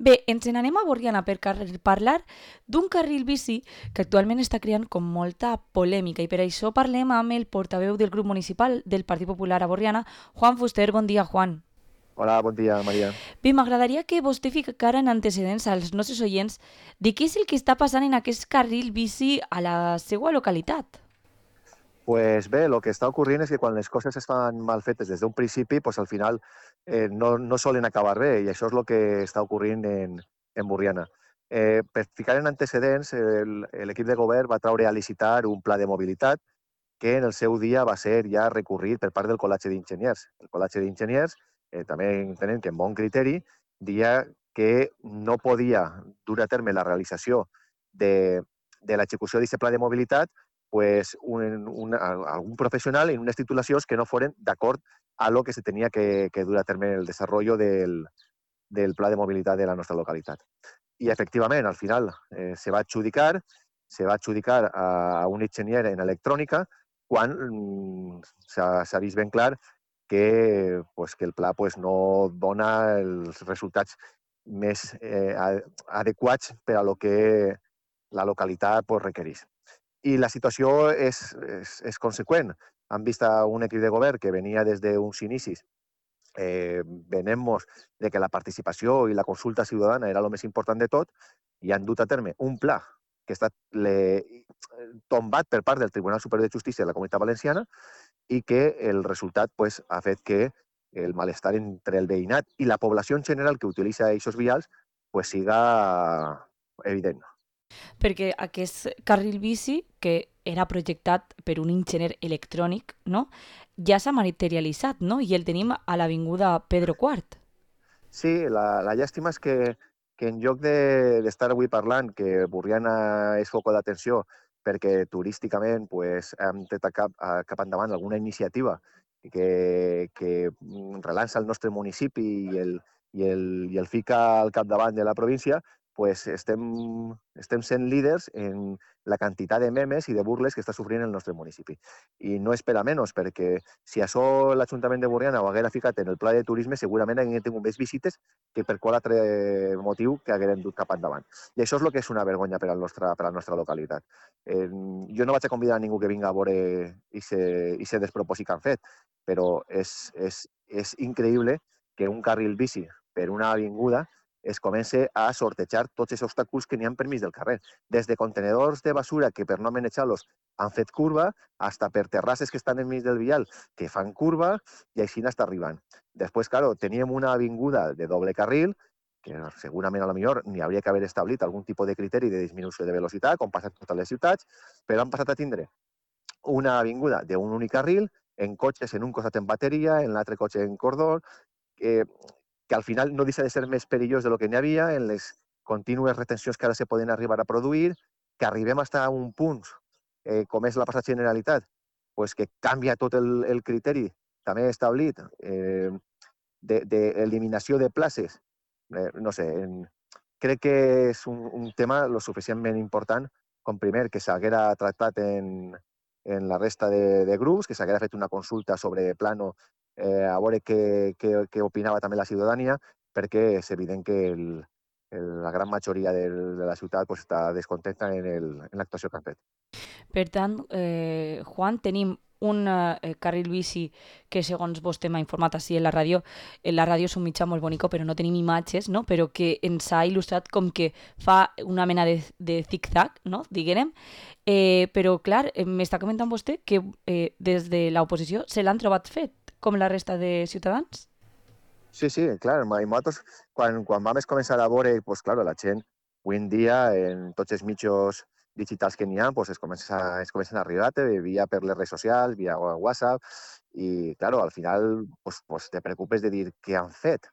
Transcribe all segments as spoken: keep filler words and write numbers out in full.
Bé, ens n'anem a Borriana per car- parlar d'un carril bici que actualment està creant com molta polèmica i per això parlem amb el portaveu del grup municipal del Partit Popular a Borriana, Juan Fuster. Bon dia, Juan. Hola, bon dia, Maria. Bé, m'agradaria que vostè ficara en antecedents als nostres oients de què és el que està passant en aquest carril bici a la seva localitat. Pues bé, el que està ocorrint és que quan les coses es fan mal fetes des d'un principi, pues al final eh, no, no solen acabar bé, i això és el que està ocorrint en, en Borriana. Eh, per ficar en antecedents, el- l'equip de govern va traure a licitar un pla de mobilitat que en el seu dia va ser ja recorrit per part del Col·legi d'Enginyers. El Col·legi d'Enginyers, eh, també entenem que amb bon criteri, dia que no podia dur a terme la realització de, de l'execució d'aquest pla de mobilitat pues, un, un, algun professional en unes titulacions que no foren d'acord a lo que se tenia que, que dur a terme el desenvolupament del, del pla de mobilitat de la nostra localitat. I efectivament, al final eh, se va adjudicar, se va adjudicar a, a un enginyer en electrònica quan mm, s'ha vist ben clar que, pues, que el pla pues, no dona els resultats més eh, adequats per a lo que la localitat pues, requereix. I la situació és, és, és conseqüent. Han vist un equip de govern que venia des d'uns inicis eh, venent-nos de que la participació i la consulta ciutadana era el més important de tot i han dut a terme un pla que ha estat le, tombat per part del Tribunal Superior de Justícia de la Comunitat Valenciana i que el resultat pues, ha fet que el malestar entre el veïnat i la població en general que utilitza aquests vials pues, siga evident. Perquè aquest carril bici, que era projectat per un enginyer electrònic, no? Ja s'ha materialitzat, no? I el tenim a l'avinguda Pedro quart. Sí, la, la llàstima és que, que en lloc d'estar de, avui parlant que Borriana és foco d'atenció perquè turísticament pues, hem tret cap, a, cap endavant alguna iniciativa que, que relança el nostre municipi i el, i el, i el fica al capdavant de la província, pues estem, estem sent líders en la quantitat de memes i de burles que està sofrint el nostre municipi. I no és per a menys, perquè si això l'Ajuntament de Borriana ho haguera ficat en el pla de turisme, segurament haguem tingut més visites que per qual altre motiu que haguem dut cap endavant. I això és el que és una vergonya per, al nostre, per a la nostra localitat. Eh, jo no vaig a convidar a ningú que vinga a veure aquest despropòsit que han fet, però és, és, és increïble que un carril bici per una avinguda es comença a sortejar tots els obstacles que n'hi ha per mig del carrer. Des de contenedors de basura que per no manejar-los han fet curva, hasta per terrasses que estan enmig del vial que fan curva i així n'està arribant. Després, claro, teníem una avinguda de doble carril que segurament a lo millor n'hi hauria que haver establit algun tipus de criteri de disminució de velocitat, com passa en totes les ciutats, però han passat a tindre una avinguda d'un únic carril, en cotxes en un costat en bateria, en l'altre cotxe en cordó, que, que al final no deixa de ser més perillós de lo que n'hi havia, en les contínues retencions que ara se poden arribar a produir, que arribem fins a un punt, eh, com és la passada Generalitat, pues que canvia tot el, el criteri també establit eh, d'eliminació de, de places. Eh, no sé, en, crec que és un, un tema lo suficientment important com primer que s'haguera tractat en, en la resta de, de grups, que s'haguera fet una consulta sobre plano eh, a veure què, què, què opinava també la ciutadania, perquè és evident que el, el, la gran majoria de, de la ciutat pues, està descontenta en, el, en l'actuació que han fet. Per tant, eh, Juan, tenim un eh, carril bici que, segons vostè m'ha informat així en la ràdio, en la ràdio és un mitjà molt bonic, però no tenim imatges, no? Però que ens ha il·lustrat com que fa una mena de, de zig-zag, no? Diguem. Eh, però, clar, eh, m'està comentant vostè que eh, des de l'oposició se l'han trobat fet, com la resta de ciutadans? Sí, sí, clar, i nosaltres, quan, quan vam començar a veure, pues, clar, la gent, avui en dia, en tots els mitjos digitals que n'hi ha, pues, es, comença, es comencen a arribar via per les redes socials, via WhatsApp, i, clar, al final pues, pues, te preocupes de dir què han fet.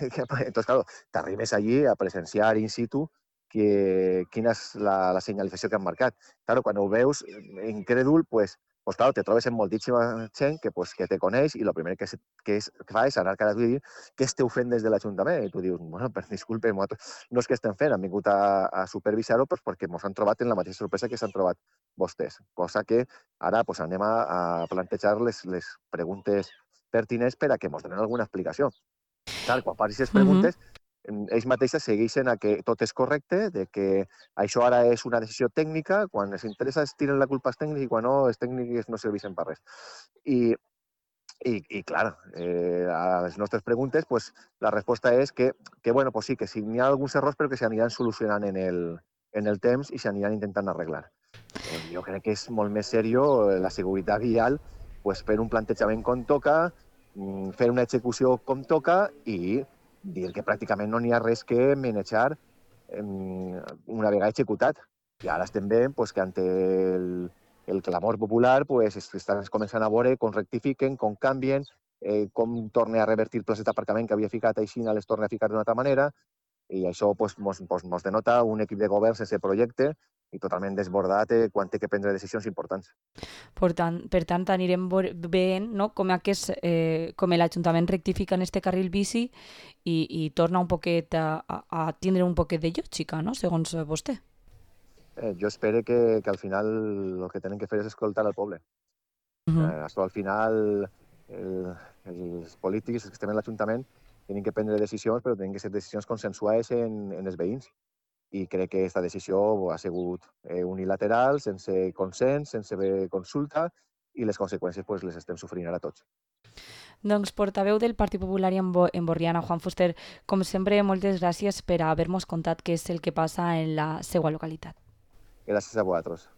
Entonces, claro, t'arribes allí a presenciar in situ que, quina és la, la senyalització que han marcat. Claro, quan ho veus incrèdul, pues, pues claro, te trobes amb moltíssima gent que, pues, que te coneix i el primer que, se, que, és, que fa és anar cada dia i dir què esteu fent des de l'Ajuntament? I tu dius, bueno, per disculpe, no és que estem fent, han vingut a, a supervisar-ho pues, perquè ens han trobat en la mateixa sorpresa que s'han trobat vostès. Cosa que ara pues, anem a, a plantejar les, les preguntes pertinents per a que ens donen alguna explicació. Clar, quan facis les Mm -hmm. preguntes, ells mateixos segueixen a que tot és correcte, de que això ara és una decisió tècnica, quan els interessa es tiren la culpa als tècnics i quan no, els tècnics no serveixen per res. I, i, i clar, eh, a les nostres preguntes, pues, la resposta és que, que, bueno, pues sí, que sí, n'hi ha alguns errors però que s'aniran solucionant en el, en el temps i s'aniran intentant arreglar. Eh, jo crec que és molt més seriós la seguretat vial, pues, fer un plantejament com toca, fer una execució com toca i dir que pràcticament no n'hi ha res que manejar una vegada executat. I ara estem veient pues, que ante el, el clamor popular pues, estan començant a veure com rectifiquen, com canvien, eh, com torna a revertir places d'aparcament que havia ficat així, les torna a ficar d'una altra manera, i això pues, mos, pues, mos denota un equip de govern sense projecte i totalment desbordat eh, quan té que prendre decisions importants. Per tant, per tant anirem veient no? com, aquest, eh, com l'Ajuntament rectifica en este carril bici i, i torna un poquet a, a, a tindre un poquet de lògica, no? Segons vostè. Eh, jo espero que, que al final el que tenen que fer és escoltar al poble. Uh -huh. eh, això al final el, els polítics, els que estem en l'Ajuntament, tenen que prendre decisions, però tenen que ser decisions consensuades en, en els veïns. I crec que aquesta decisió ha sigut eh, unilateral, sense consens, sense consulta, i les conseqüències pues, les estem sofrint ara tots. Doncs portaveu del Partit Popular en, Bo en Borriana, Juan Fuster, com sempre, moltes gràcies per haver-nos contat què és el que passa en la seva localitat. Gràcies a vosaltres.